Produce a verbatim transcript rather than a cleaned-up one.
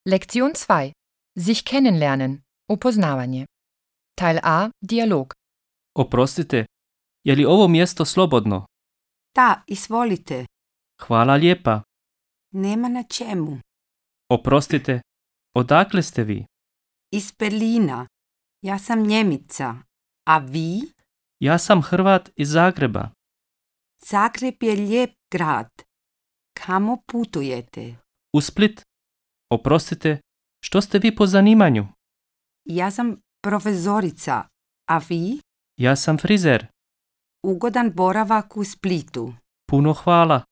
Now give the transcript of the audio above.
Lektion dva. Sich kennenlernen. Upoznavanje. Teil A. Dialog. Oprostite, je li ovo mjesto slobodno? Da, izvolite. Hvala lijepa. Nema na čemu. Oprostite, odakle ste vi? Iz Berlina. Ja sam Njemica. A vi? Ja sam Hrvat iz Zagreba. Zagreb je lijep grad. Kamo putujete? U Split. Oprostite, što ste vi po zanimanju? Ja sam profesorica. A vi? Ja sam frizer. Ugodan boravak u Splitu. Puno hvala.